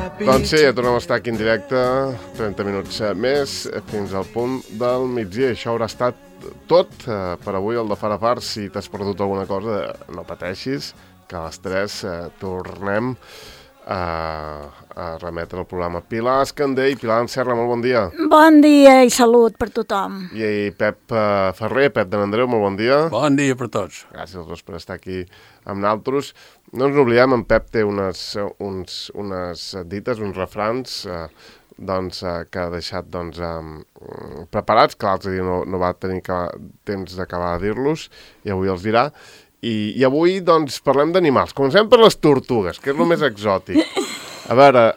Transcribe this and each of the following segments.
Doncs sí, tornem a estar aquí en directe, 30 minuts més, fins al punt del migdia. Això haurà estat tot per avui, el de Far a Far. Si t'has perdut alguna cosa, no pateixis, que a les 3 tornem a remetre el programa. Pilar Escandell, Pilar Serra, molt bon dia. Bon dia i salut per tothom. I Pep Ferrer, Pep de n'Andreu, molt bon dia. Bon dia per tots. Gràcies a tots per estar aquí amb nosaltres. No ens oblidem, en Pep té unes dites, uns refrans que ha deixat preparats, que l'altre dia no va tenir temps d'acabar de dir-los, i avui els dirà. I avui parlem d'animals. Comencem per les tortugues, que és el més exòtic. A veure,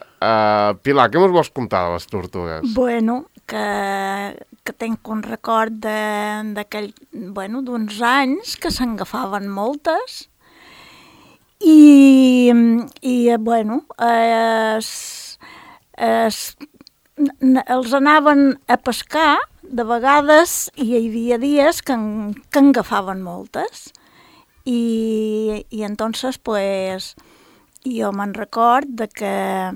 Pilar, què ens vols contar de les tortugues? Bueno, que tenc un record d'uns anys que s'engafaven moltes i els anaven a pescar de vegades i hi havia dies que engafaven moltes i entonces pues jo me'n record de que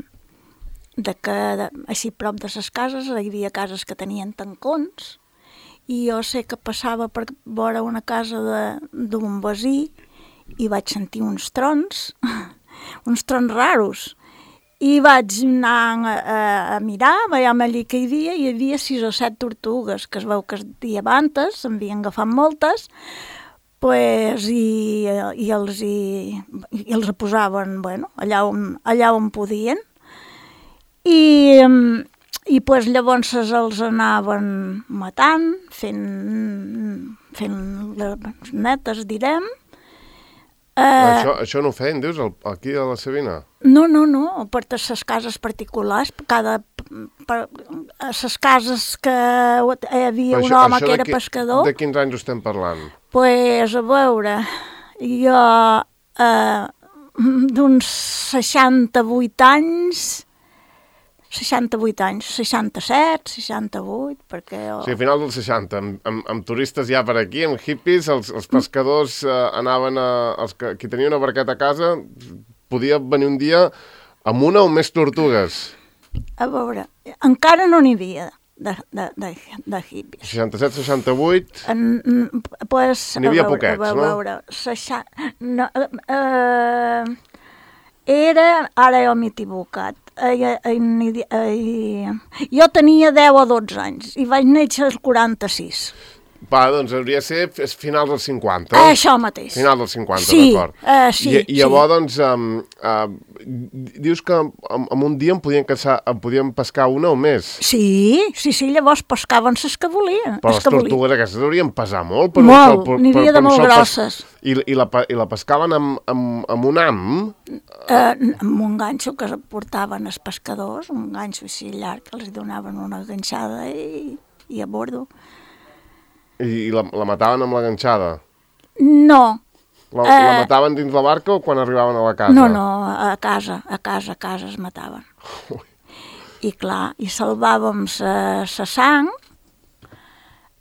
així prop de les cases hi havia cases que tenien tancons i jo sé que passava per vora una casa d'un veí i vaig sentir uns trons raros i vaig anar a mirar, veiem allí que hi havia 6 o 7 tortugues que es veu que el dia abans se'n havien agafat moltes pues, i els posaven allà on podien i pues, llavors els anaven matant, fent les netes, direm. Això no ho feien, dius, aquí a la Savina? No, per les cases particulars, a les cases que hi havia un home que era pescador. De quins anys estem parlant? Pues, a veure, jo d'uns 68 anys, 67, 68, perquè... Sí, a final dels 60, amb turistes ja per aquí, amb hippies, els pescadors anaven qui tenia una barqueta a casa, podia venir un dia amb una o més tortugues. A veure, encara no n'hi havia de hippies. 67, 68... Pues, n'hi havia poquets, no? A veure, ara jo m'he equivocat. Jo tenia 10 o 12 anys i vaig néixer als 46. Va, doncs hauria de ser finals dels 50. Això mateix. Finals dels 50, sí, d'acord. Sí, I llavors, dius que en un dia em podien pescar una o més. Sí, llavors pescaven les que volien. Però les tortugues aquestes haurien pesar molt. Molt, n'hi havia de molt grosses. I la pescaven amb un ham? Amb un ganxo que portaven els pescadors, un ganxo així llarg, que els donaven una ganxada i a bordo. I la mataven amb la ganxada? No. La mataven dins la barca o quan arribaven a la casa? No, a casa es mataven. Ui. I clar, i salvàvem la sang,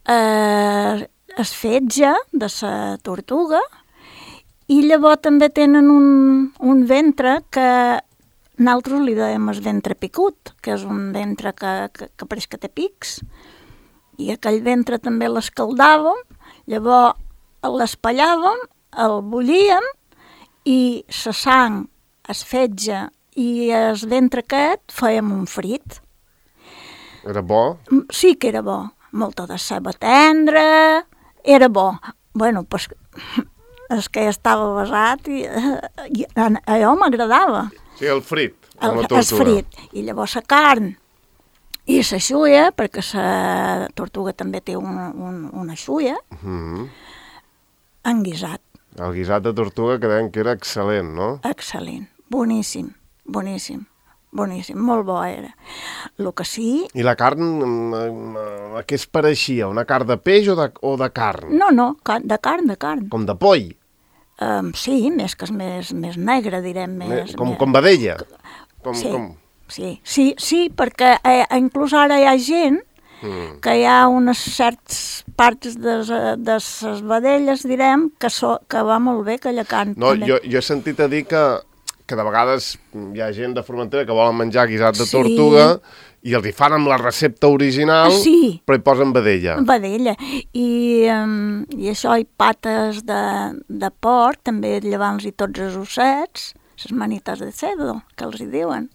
el fetge de la tortuga, i llavors també tenen un ventre que nosaltres li dèiem el ventre picut, que és un ventre que pareix que té pics, i aquell ventre també l'escaldàvem, llavors l'espallàvem, el bullíem i la sang, el fetge i el ventre aquest fèiem un frit. Era bo? Sí que era bo. Molta de ceba tendra, era bo. Bueno, pues, és que ja estava basat i allò m'agradava. Sí, el frit, amb la tortuga. El frit. I llavors la carn i la xulla, perquè la tortuga també té una xulla, en guisat. El guisat de tortuga que deien que era excel·lent, no? Excel·lent, boníssim, molt bo era. El que sí... I la carn, a què es pareixia? Una carn de peix o de carn? No, de carn. Com de poll? Sí, més que és més negre, direm. Com vedella? Sí, perquè inclús ara hi ha gent que hi ha unes certes parts de les vedelles, direm, que va molt bé aquella carn. No, jo he sentit a dir que que de vegades hi ha gent de Formentera que volen menjar guisat de tortuga i els hi fan amb la recepta original, però hi posen vedella. Vedella. I això, i pates de porc, també llevant-los tots els ossets, les manites de cerdo, que els hi diuen.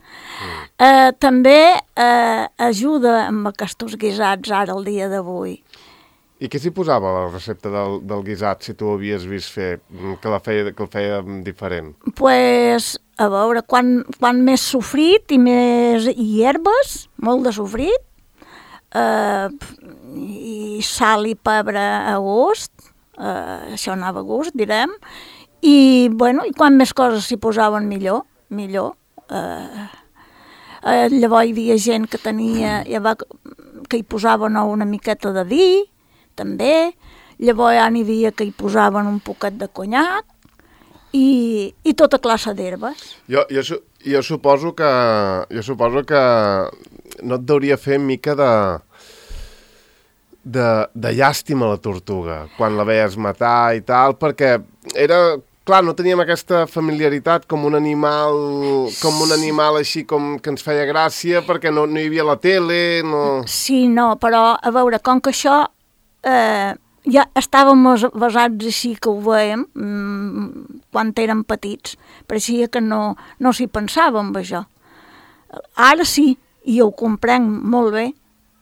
També ajuda amb aquests guisats ara, el dia d'avui. I què s'hi posava a la recepta del guisat, si tu ho havies vist fer, que el feia diferent? Pues, a veure, quan més sofrit i més herbes, molt de sofrit, i sal i pebre a gust, això anava a gust, direm, i, bueno, i quan més coses s'hi posaven millor. Llavors hi havia gent que que hi posaven una miqueta de vi, també, llavors ja n'hi havia que hi posaven un poquet de conyac i tota classe d'herbes. Jo suposo que no et deuria fer mica de llàstima la tortuga quan la veies matar i tal, perquè era... Clar, no teníem aquesta familiaritat com un animal així com que ens feia gràcia perquè no hi havia la tele, no... Sí, no, però a veure, com que això ja estàvem basats així que ho veiem quan érem petits, pareixia que no s'hi pensava amb això. Ara sí, i ho comprenc molt bé,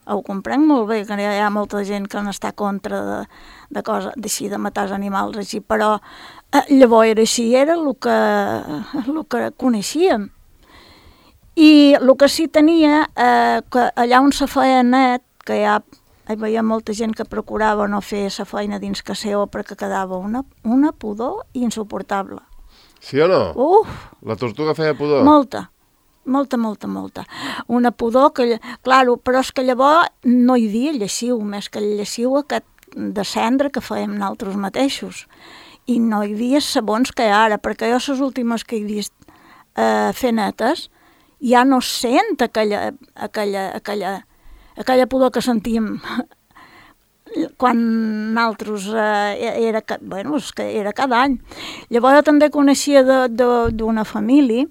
que hi ha molta gent que n'està contra de coses d'així, de matar els animals així, però llavors era així, era el que coneixíem. I el que sí tenia, que allà on se feia net, que hi havia molta gent que procurava no fer la feina dins que seu perquè quedava una pudor insuportable. Sí o no? La tortuga feia pudor? Molta. Una pudor que... Claro, però és que llavors no hi havia lleixiu, més que el lleixiu aquest de cendra que fèiem nosaltres mateixos. I no hi havia sabons que ara, perquè jo les últimes que he vist fer netes ja no sent aquella pudor que sentíem quan nosaltres era cada any. Llavors jo també coneixia d'una família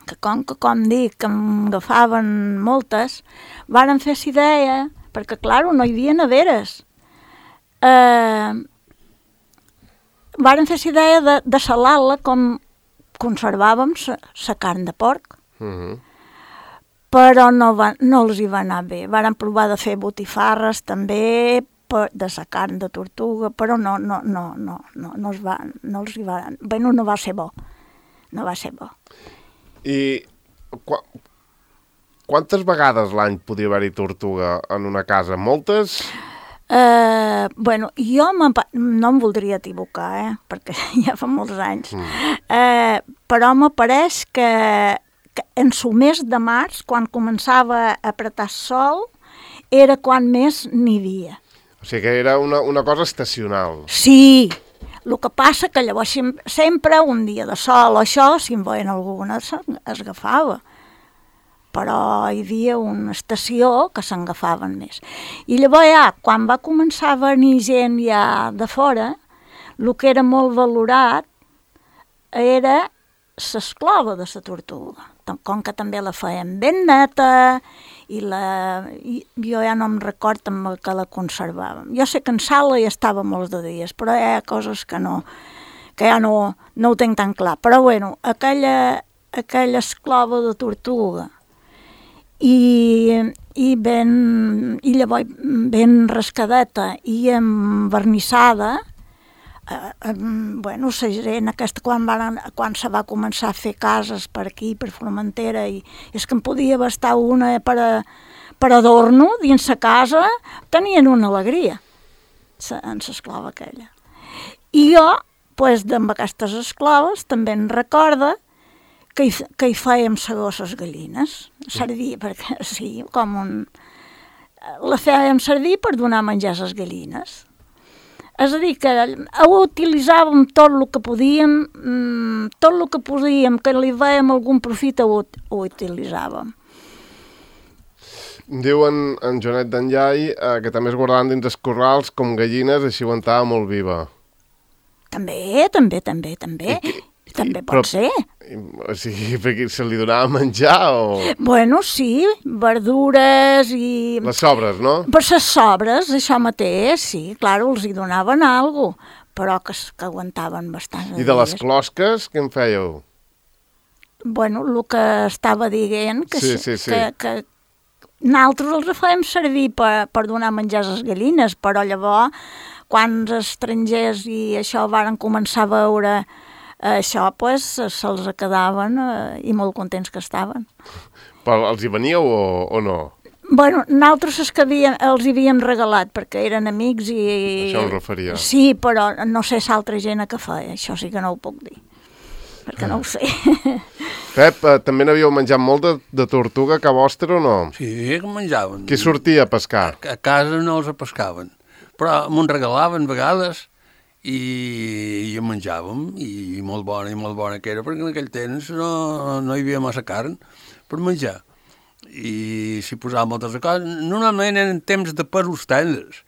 que com dic, que em agafaven moltes, varen fer la idea, perquè, clar, no hi havia neveres. Varen fer la idea de salar-la com conservàvem la carn de porc. Però no els hi va anar bé. Varen provar de fer botifarres també de la carn de tortuga, però no va ser bo. No va ser bo. I quantes vegades l'any podia haver-hi tortuga en una casa? Moltes? Jo no em voldria equivocar, perquè ja fa molts anys, però m'apareix que en el mes de març, quan començava a apretar sol, era quan més n'hi havia. O sigui que era una cosa estacional. Sí, el que passa que llavors sempre un dia de sol o això, si en veien alguna, es agafava. Però hi havia una estació que s'agafaven més. I llavors ja, quan va començar a venir gent ja de fora, el que era molt valorat era l'esclova de la tortuga. Com que també la feien ben neta, i jo ja no em recordo amb el que la conservàvem. Jo sé que en sala hi estava molts de dies, però hi ha coses que ja no ho tinc tan clar. Però bueno, aquella esclova de tortuga, i llavors ben rascadeta i envernissada, la gent aquesta quan se va començar a fer cases per aquí, per Formentera, i és que en podia bastar una per adorno dins la casa, tenien una alegria en l'esclava aquella. I jo, amb aquestes esclaves, també en recorda que hi fèiem segar les gallines, servir, perquè sí, la fèiem servir per donar menjar a les gallines. És a dir, que ho utilitzàvem tot el que podíem, que li vèiem algun profit ho utilitzàvem. Diu en Joanet d'Enllai que també es guardaven dins els corrals com gallines, així aguantava molt viva. També. També pot ser. O sigui, perquè se li donava menjar o... Bueno, sí, verdures i... Les sobres, no? Per les sobres, això mateix, sí, clar, els hi donaven alguna cosa, però que aguantaven bastant. I de les closques, què en fèieu? Bueno, el que estava dient, que, Sí. que nosaltres els fèiem servir per donar menjar a les gallines, però llavors, quan els estrangers i això varen començar a veure això, pues, se'ls quedaven i molt contents que estaven. Però els hi veníeu o no? Bueno, nosaltres els que els havíem regalat perquè eren amics i... Això em referia. Sí, però no sé si altra gent que feia, això sí que no ho puc dir, perquè no ho sé. Pep, també n'havíeu menjat molt de tortuga a casa vostra o no? Sí, que menjaven. Qui sortia a pescar? A casa no els pescaven, però m'ho regalaven a vegades i en menjàvem, i molt bona que era, perquè en aquell temps no hi havia massa carn per menjar. I s'hi posava moltes coses. Normalment eren temps de pèsols tendres.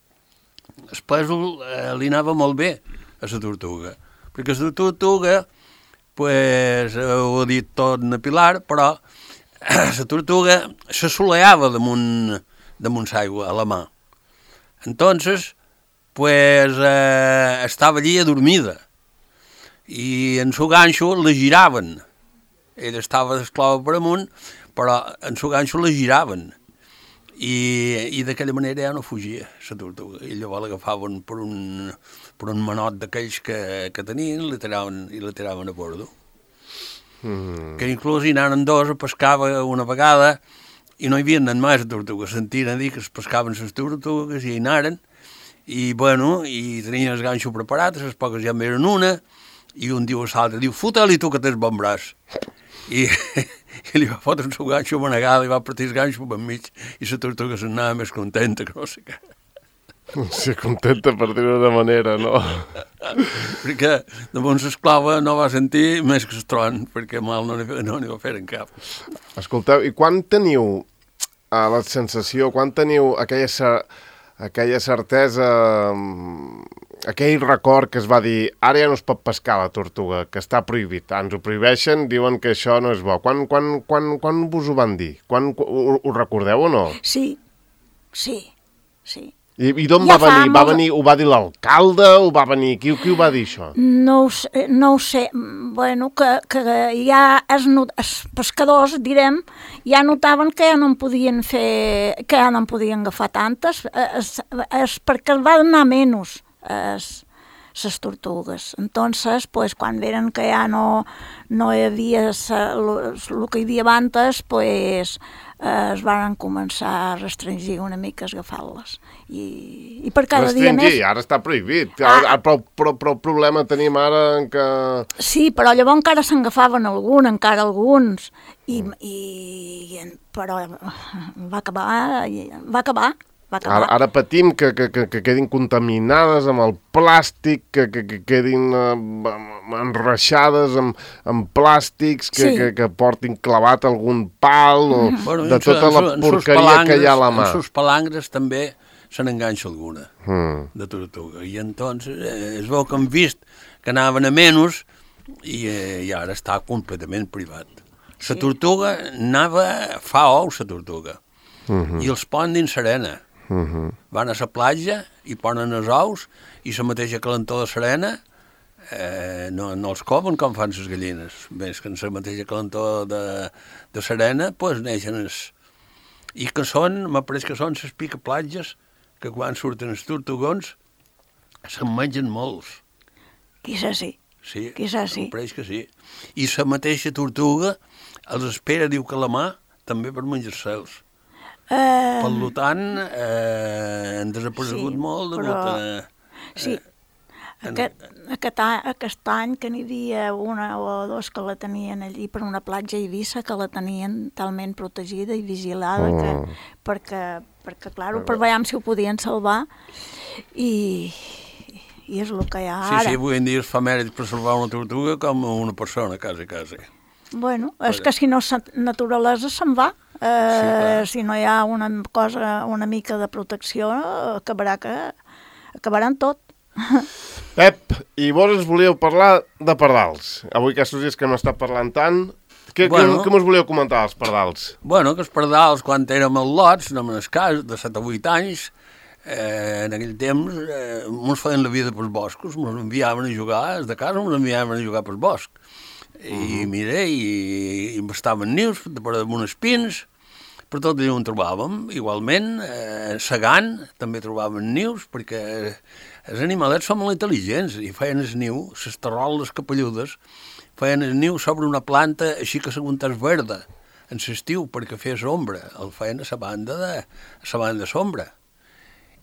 El pèsol li anava molt bé a la tortuga, perquè la tortuga, pues, ho ha dit tot na Pilar, però la tortuga s'assoleava damunt l'aigua, a la mà. Entonces, pues, estava allí adormida, i en su ganxo la giraven. Ella estava d'esclava per amunt, però en su ganxo la giraven, i d'aquella manera ja no fugia la tortuga, i llavors l'agafaven per un manot d'aquells que tenien i la tiraven a bordo. Que inclús hi anaren dos a pescar una vegada i no hi havia anat més a tortugues, sentien a dir que es pescaven les tortugues i hi anaren, i bueno, i tenien el ganxo preparat, les poques ja en eren una, i un diu a l'altre, diu, fote-li tu que tens bon braç. I li va fotre un seu ganxo manegada i va partir el ganxo per mig, i la tortuga s'anava més contenta que no sé què. Sí, contenta per dir-ho de manera, no? Perquè damunt l'esclava no va sentir més que el tron, perquè mal no n'hi va fer en cap. Escolteu, i quan teniu la sensació, quan teniu aquella certesa, aquell record que es va dir ara ja no es pot pescar la tortuga, que està prohibit, ens ho prohibeixen, diuen que això no és bo. Quan vos ho van dir? Ho recordeu o no? Sí. I d'on va venir? Ho va dir l'alcalde? Ho va venir? Qui ho va dir, això? No ho sé. Bueno, que ja els pescadors, direm, ja notaven que ja no en podien fer, que ja no en podien agafar tantes, perquè va donar menys les tortugues. Entonces, pues, quan veren que ja no hi havia el que hi havia abans, pues, es van començar a restringir una mica agafar-les. I per cada dia més... Restringir, ara està prohibit. Però el problema tenim ara en que... Sí, però llavors encara se'n agafaven alguns. Però va acabar. Ara patim que quedin contaminades amb el plàstic, que quedin enreixades amb plàstics, que portin clavat algun pal, o de tota la porqueria que hi ha a la mà. En sus palangres també se n'enganxa alguna de tortuga. I entonces es veu que han vist que anaven a menys i ara està completament privat. La tortuga fa ous, la tortuga, i els ponen dins l'arena. Van a la platja i ponen els ous, i la mateixa calentor de l'arena no els comen com fan les gallines. Més que en la mateixa calentor de l'arena, doncs neixen i que m'ha pareix que són les picaplatges que quan surten els tortugons se'n mengen molts. Quizás sí. Sí, sí. em pareix que sí. I la mateixa tortuga els espera, diu que la mà, també per menjar-se'ls. Per tant, han desaparegut molt degut Sí, aquest any que n'hi havia una o dos que la tenien allí per una platja a Eivissa, que la tenien talment protegida i vigilada, perquè clar, per veure si ho podien salvar, i és el que hi ha ara. Sí, avui en dia es fa mèrit per salvar una tortuga com una persona, quasi. Bueno, és que si no la naturalesa se'n va. Si no hi ha una mica de protecció, acabaran tot. Pep, i vos ens volíeu parlar de pardals. Avui aquests dies que hem estat parlant tant, què mos volíeu comentar dels pardals? Bueno, que els pardals, quan érem al lots, no me'n cas, de 7 o 8 anys, en aquell temps mos feien la vida pels boscos, mos enviaven a jugar, des de casa mos enviaven a jugar pels bosc. I mira, i estaven nius per damunt els pins, per tot allà on trobàvem. Igualment, segant també trobàvem nius, perquè els animalets són molt intel·ligents i feien el niu, les taroles capelludes, feien el niu sobre una planta així que s'aguantés verda, en l'estiu, perquè fes ombra. El feien a la banda de sombra.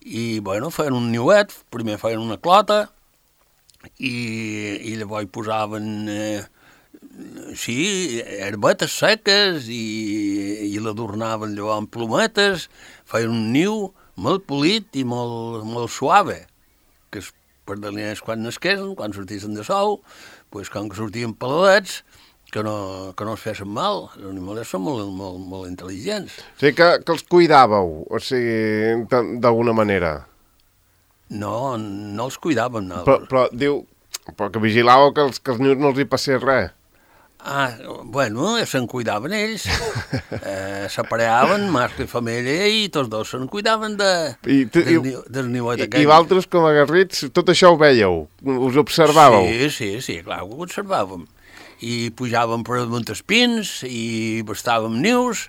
I, bueno, feien un niuet, primer feien una clota, i llavors hi posaven... sí, herbetes seques i l'adornaven allò amb plometes, feien un niu molt polit i molt suave, que els pardalins quan nasquessin, quan sortissin de sou, pues, com que sortien peladets, que no es fessin mal. Els animalets són molt intel·ligents. O sigui que els cuidàveu, o sigui, d'alguna manera. No els cuidàvem. No. Però diu, que vigilàveu que els nius no els hi passés res. Bueno, se'n cuidaven ells, s'apareaven, mascle i femella, i tots dos se'n cuidaven del niuet aquell. I vosaltres, com a garrits, tot això ho veieu? Us observàveu? Sí, clar, ho observàvem. I pujàvem per damunt els pins, i bastàvem nius,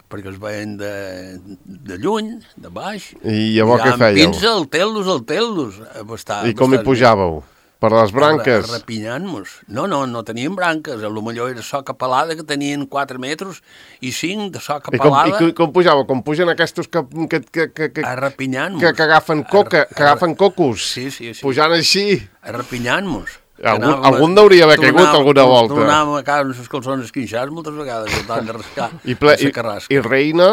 perquè els veien de lluny, de baix. I llavors què fèieu? Pins al tel·los. I com hi pujàveu? Per les branques? Repinyant-nos. No teníem branques. A lo millor era soca pelada, que tenien 4 metres i 5 de soca pelada. I com pujàveu? Com pugen aquests que repinyant-nos. Que agafen cocos. Sí. Pujant així. Repinyant-nos. Algun hauria d'haver caigut alguna volta. Tornàvem a casa amb els calçons esquinxats moltes vegades, tant de rascar la carrasca. I reina?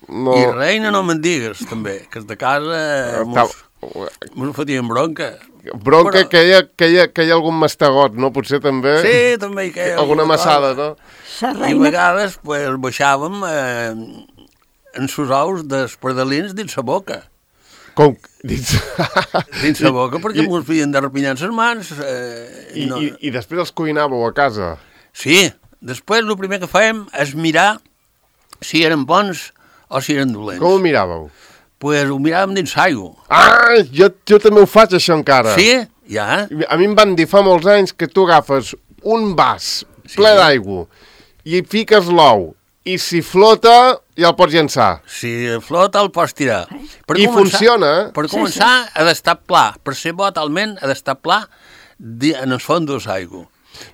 No... I reina no me'n digues, també, que de casa mos fotíem bronca. Bronca, que hi ha algun mastegot, no? Potser també... Sí, també hi queia alguna massada, no? I a vegades pues, baixàvem en sus ous dels pardalins dins la boca. Com? Dins la boca, perquè mos havien de repinyar les mans. I després els cuinàveu a casa? Sí, després el primer que fèiem és mirar si eren bons o si eren dolents. Com ho miràveu? Pues ho miràvem dins l'aigua. Jo també ho faig, això encara. Sí? Ja. A mi em van dir fa molts anys que tu agafes un vas ple d'aigua i fiques l'ou, i si flota ja el pots llançar. Si flota el pots tirar. Funciona. Per començar ha d'estar pla. Per ser bo talment ha d'estar pla en el fons de l'aigua.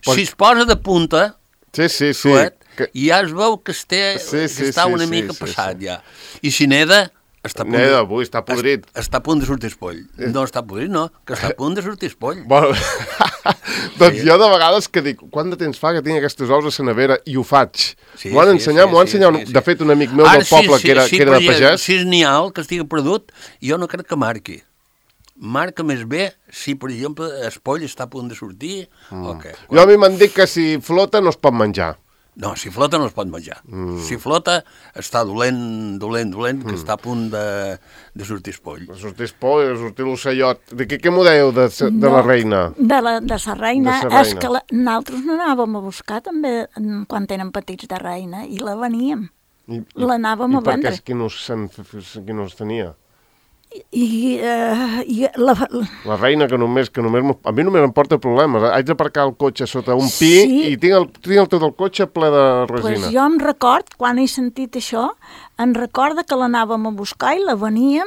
Si es posa de punta, suet, ja es veu que està una mica passat ja. I si neda... Està podrit. Està a punt de sortir espoll. No està podrit, no, que està a punt de sortir espoll. Bueno, doncs jo de vegades que dic, quant de temps fa que tinc aquestes ous a la nevera i ho faig? M'ho han ensenyat, de fet, un amic meu del poble que era de pagès. Si és nial, que estigui perdut, jo no crec que marqui. Marca més bé si, per exemple, l'espoll està a punt de sortir o què. Jo a mi m'han dit que si flota no es pot menjar. No, si flota no es pot menjar. Si flota està dolent, que està a punt de sortir espoll. De sortir espoll, de sortir l'ocellot. De què m'ho dèieu de la reina? De la reina. És que nosaltres n'anàvem a buscar també quan tenen petits de reina i la veníem. L'anàvem a vendre. I per què qui no es tenia? La reina que només a mi només em porta problemes. Haig d'aparcar el cotxe sota un pi i tinc tot el cotxe ple de resina. Pues jo em record, quan he sentit això, em recorda que l'anàvem a buscar i la veníem.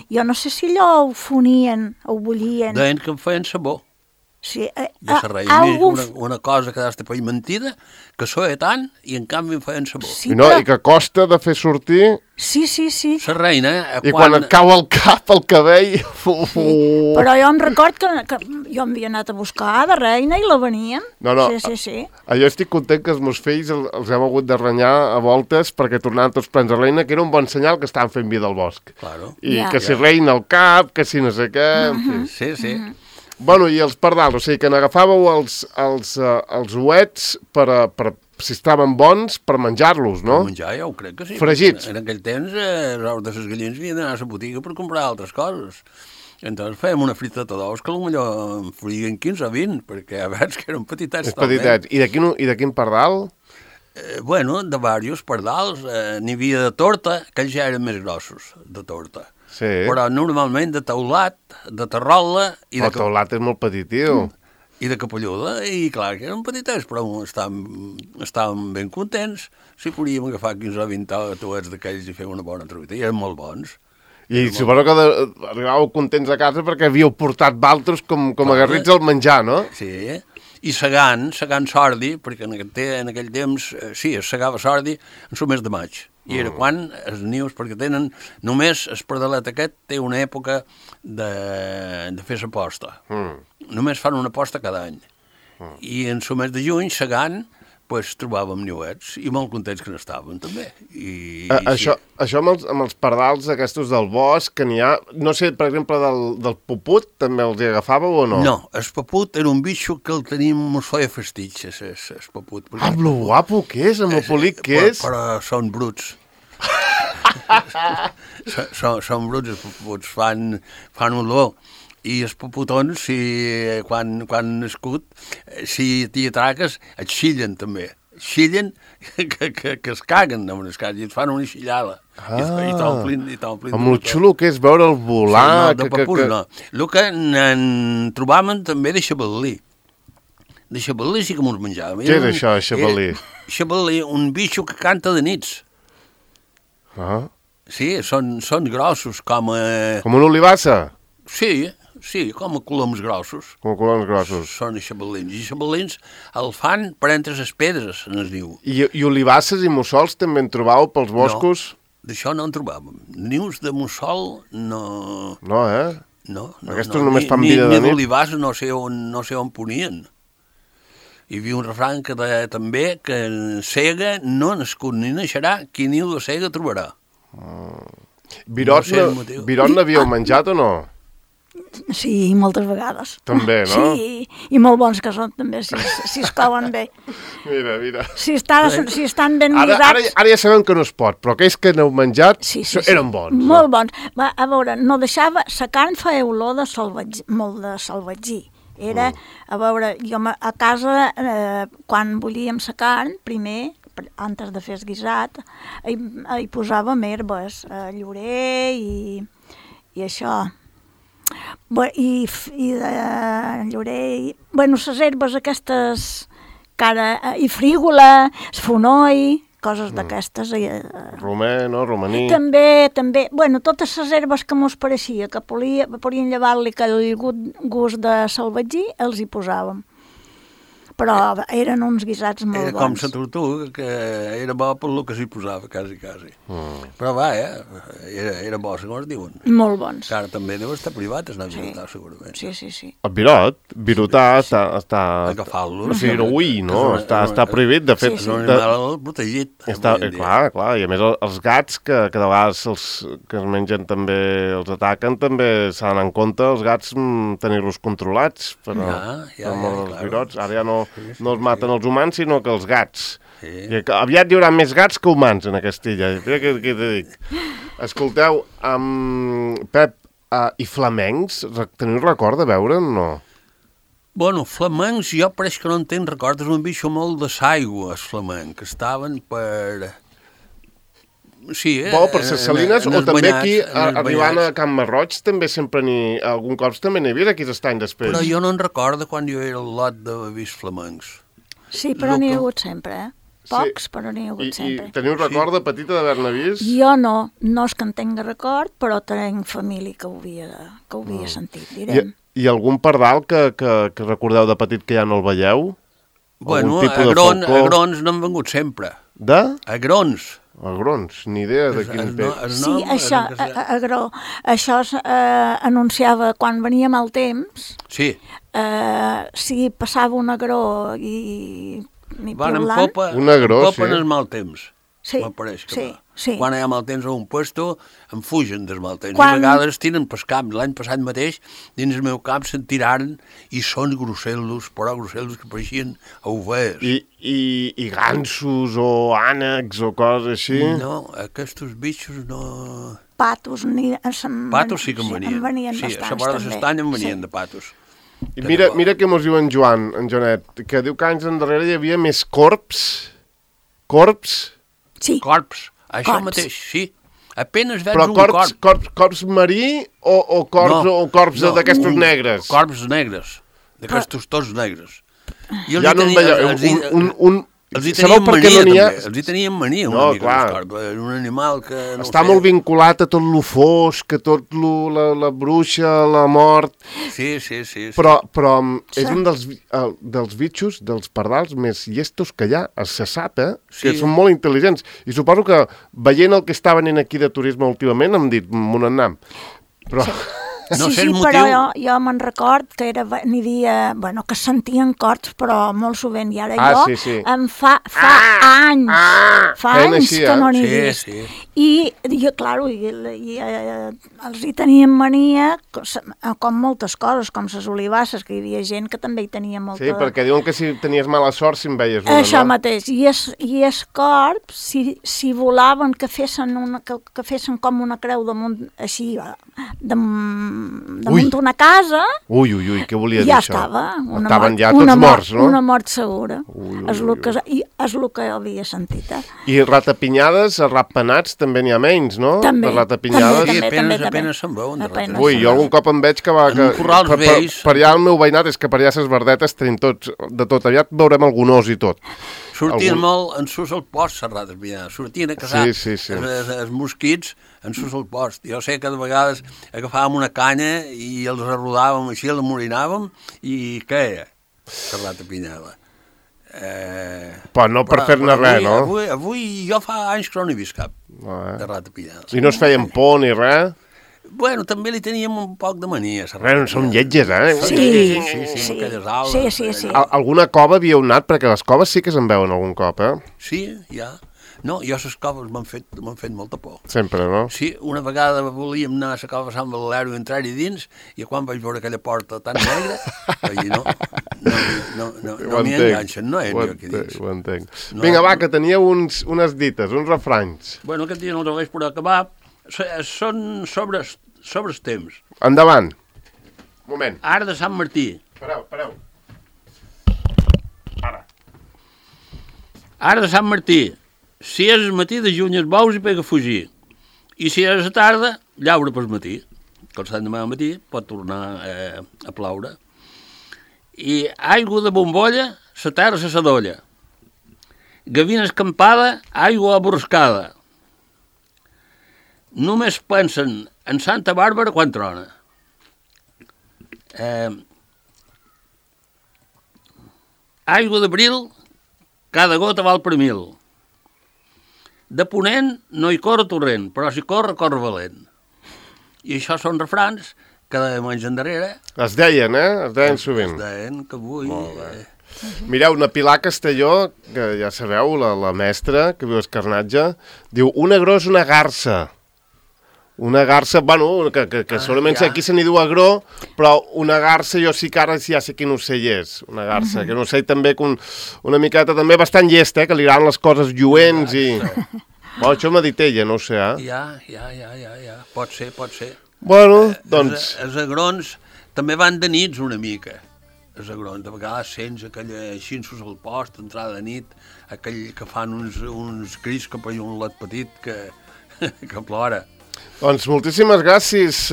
Jo no sé si allò ho fonien, ho bullien. Deien que em feien sabó. Sí, una cosa que d'hasta per mentida, que soia tant i en canvi em feien sabó. Sí, I que costa de fer sortir... Sí. La reina... I quan et cau al cap, el cabell... Però jo em record que jo m'havia anat a buscar de reina i la veníem. No. Sí. Jo estic content que els meus fills els hem hagut de renyar a voltes perquè tornaven tots plens de reina, que era un bon senyal que estaven fent vida al bosc. Claro. I que si reina al cap, que si no sé què... Sí. Bueno, i els pardals, o sigui que n'agafàveu els ouets per si estaven bons, per menjar-los, no? Per menjar, ja ho crec que sí. Fregits. En aquell temps, els ous de les gallines havien d'anar a la botiga per comprar altres coses. Entonces fèiem una friteta d'ous que potser en farien 15 o 20, perquè a veure que eren petitets És petitet. I de quin pardal? Bueno, de diversos pardals. N'hi havia de torta, que ja eren més grossos, de torta. Sí. Però normalment de teulat, de terrola i El teulat és molt petitiu. i de capelluda, i clar que eren petitets, però estàvem ben contents si podíem agafar 15 o 20 tuets d'aquells i fer una bona truita, i eren molt bons. I suposo que arribàveu contents a casa perquè havíeu portat valtros com agarrits al menjar, no? Sí, i segant sordi, perquè en aquell temps, sí, es segava sordi en el mes de maig. I era quan els nius, perquè tenen, només el pardalet aquest té una època de fer la posta. Només fan una posta cada any. I en el mes de juny, segant, pues, trobàvem niuets, i molt contents que n'estàvem, també. Això amb els pardals aquests del bosc, que n'hi ha... No sé, per exemple, del puput, també els hi agafàveu o no? No, el puput era un bitxo que el tenim, mos feia festitges, el puput. Ah, lo guapo que és, amb el polit que és. Però són bruts. Són bruts, els puputs, fan olor. I els puputons, quan nascut, si t'hi atraques, et xillen també. Xillen que es caguen amb les cases i et fan una xillada. I t'omplin. Amb el xulo que és veure el volar... Sí, no, de papús no. El que en trobàvem també de xabalí. De xabalí sí que mos menjàvem. Què és això, xabalí? Xabalí, un bitxo que canta de nits. Sí, són grossos, com a... Com una olivassa? Sí, com a coloms grossos. Com a coloms grossos. Són xabalins. I xabalins el fan per entre les pedres, en es diu. I olivasses i mussols també en trobàveu pels boscos? No, d'això no en trobàvem. Nius de mussol no... No, eh? No. Aquestos només fan vida de nit. Ni d'olivars no sé on ponien. Hi havia un refrany que deia també que en cega no nascut ni naixerà, qui niu de cega trobarà. Virot n'havíeu menjat o no? Sí, moltes vegades. També, no? Sí, i molt bons que són també, si es couen bé. Mira. Si estan ben guisats... Ara ja sabem que no es pot, però aquells que n'heu menjat eren bons. Molt bons. A veure, no deixava... La carn feia olor de salvatgí, molt de salvatgí. Era, a veure, jo a casa, quan bullíem la carn, primer, antes de fer el guisat, hi posàvem herbes, llorer i això... I de llorer... Bueno, les herbes aquestes, i frígola, fonoll, coses d'aquestes. Romer, no? Romaní. També. Bueno, totes les herbes que mos pareixia que podien llevar-li aquell gust de salvatgí, els hi posàvem. Però eren uns guisats molt bons. Era com la tortuga, que era bo per lo que s'hi posava, quasi. Però va, era bo, segons diuen. Molt bons. Que ara també deu estar privat, es anava a virotar, segurament. Sí. El virotar està... Agafar-lo. O sigui, ui, no, està prohibit, de fet... És un animal protegit. Clar, i a més els gats, que de vegades els que es mengen també, els ataquen, també s'han d'anar en compte els gats tenir-los controlats per els virots. Ara ja no els maten els humans, sinó que els gats. Sí. Aviat hi haurà més gats que humans en aquesta illa. Mira què t'he dit. Escolteu, Pep, i flamencs, teniu record de veure'n o no? Bueno, flamencs, jo pareix que no en tenc record, és un bitxo molt de l'aigua, els flamencs, que estaven per... Sí, per les salines, o també aquí, arribant a Can Marroig, també sempre algun cop també n'hi havia aquí d'estany després. Però jo no en recordo quan jo era al lot de vist flamencs. Sí, però n'hi ha hagut sempre, Pocs, però n'hi ha hagut sempre. I teniu record de petita d'haver-ne vist? Jo no és que en tinc record, però tenc família que ho havia sentit, direm. I algun pardal que recordeu de petit que ja no el veieu? Bueno, agrons n'han vengut sempre. De? Agrons. Agrons, ni idea de quin pet. Sí, això, agró. Això anunciava quan venia mal temps. Sí. Si passava un agró i van en piulant. popa, un agró, en el mal temps. m'apareix que sí. quan hi ha mal temps a un puesto em fugen dels mal temps. Quan... I a vegades tiren pel camp. L'any passat mateix, dins el meu camp, se'n tiraren i són grossellos, però grossellos que pareixien ovelles. I gansos o ànecs o coses així? No, aquests bitxos no... Patos, patos sí que em venien. En venien sí, bastants, a la vora també. d'estany em venien de patos. I mira què mos diu en Joanet, que diu que anys endarrere hi havia més corps? Sí. Corps, això Corps. mateix, sí. Apenas veig Però un corp. corps marí o corps d'aquestos negres? Corps negres, d'aquestos tots negres. Ja no en veieu, els hi sabeu tenien per què mania, no n'hi ha? també. Els hi tenien mania, una mica, clar. els corps. Era un animal que... No Està molt vinculat a tot lo fosc, a tot la bruixa, la mort... Sí. Però és un dels bitxos, dels pardals més llestos que hi ha, se sap, que són molt intel·ligents. I suposo que, veient el que està venint aquí de turisme últimament, hem dit, m'on anem. Però... No sé sí, el motiu. però jo me'n record que n'hi havia, bueno, que sentien corts, però molt sovint, i ara jo em fa anys, així, que no n'hi vist. Sí. I clar, els hi tenien mania, com moltes coses, com les olivasses, que hi havia gent que també hi tenia molta... Sí, perquè diuen que si tenies mala sort si en veies una, Això no? mateix, i els corps, si volaven, que fessin com una creu damunt, així, damunt d'una casa... Ui, què volia dir ja això? estava. Estaven ja tots morts, no? Una mort segura. És el que havia sentit, I ratapinyades, ratpenats, també n'hi ha menys, no? També. De ratapinyades. També. Apenas se'n veuen. Ui, jo algun cop em veig que va... En corrals vells. Per allà el meu veïnat és que per allà ses verdetes tenim tots, de tot. Aviat veurem algun os i tot. Sortien molt en sus al post, les ratapinyades. Sortien a caçar els mosquits en sus al post. Jo sé que de vegades agafàvem una canya i els arrodàvem així, els morinàvem i queia la ratapinyada. Però no per fer-ne res, no? Avui jo fa anys que no n'he vist cap de ratapinyada. I no es feien por ni res? Bueno, també li teníem un poc de mania. Són lletges, Sí. Sí. Alguna cova havíeu anat? Perquè les coves sí que se'n veuen algun cop, Sí, ja. No, jo les coves m'han fet molta por. Sempre, no? Sí, una vegada volíem anar a la cova Sant Valero i entrar-hi dins, i quan vaig veure aquella porta tan negra, vaig dir, no m'hi enganxen, no entro aquí dins. Ho entenc. Vinga, va, que teníeu unes dites, uns refranys. Bueno, aquest dia no els veig per acabar. Són sobre els temps. Endavant. Moment. Ara de Sant Martí. Pareu. Ara de Sant Martí. Si és el matí, de juny els bous i pega a fugir. I si és a tarda, llaura pel matí. Com Sant demà al matí pot tornar a ploure. I aigua de bombolla, la terra se s'adolla. Gavina escampada, aigua aborrascada. Només pensen en Santa Bàrbara quan trona. Aigua d'abril, cada gota val per 1000. De ponent no hi corre torrent, però si corre valent. I això són refrans que de menys endarrere... Es deien, Es deien sovint. Es deien que avui... Mireu, na Pilar Castelló, que ja sabeu, la mestra, que viu a Escarnatge, diu, un agró és una garça. Una garça, bueno, que segurament aquí se n'hi diu agró, però una garça jo sí que ara ja sé quin ocell és, una garça, que un ocell també una miqueta també bastant llest, que li agraden les coses lluents i... Bueno, això m'ha dit ella, no ho sé, Ja. Pot ser. Bueno, doncs... Els agrons també van de nits una mica. Els agrons, de vegades sents aquella xinsos al post, entrada de nit, aquell que fan uns crits cap a un lot petit que plora. Doncs moltíssimes gràcies.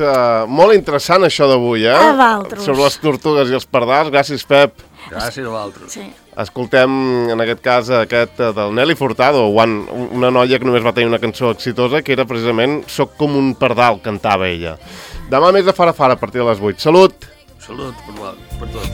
Molt interessant això d'avui, A vosaltres. Sobre les tortugues i els pardals. Gràcies, Pep. Gràcies a vosaltres. Sí. Escoltem, en aquest cas, aquest del Nelly Furtado, una noia que només va tenir una cançó exitosa, que era precisament Soc com un pardal, cantava ella. Demà més de Fara Fara, a partir de les 8. Salut! Salut per tot.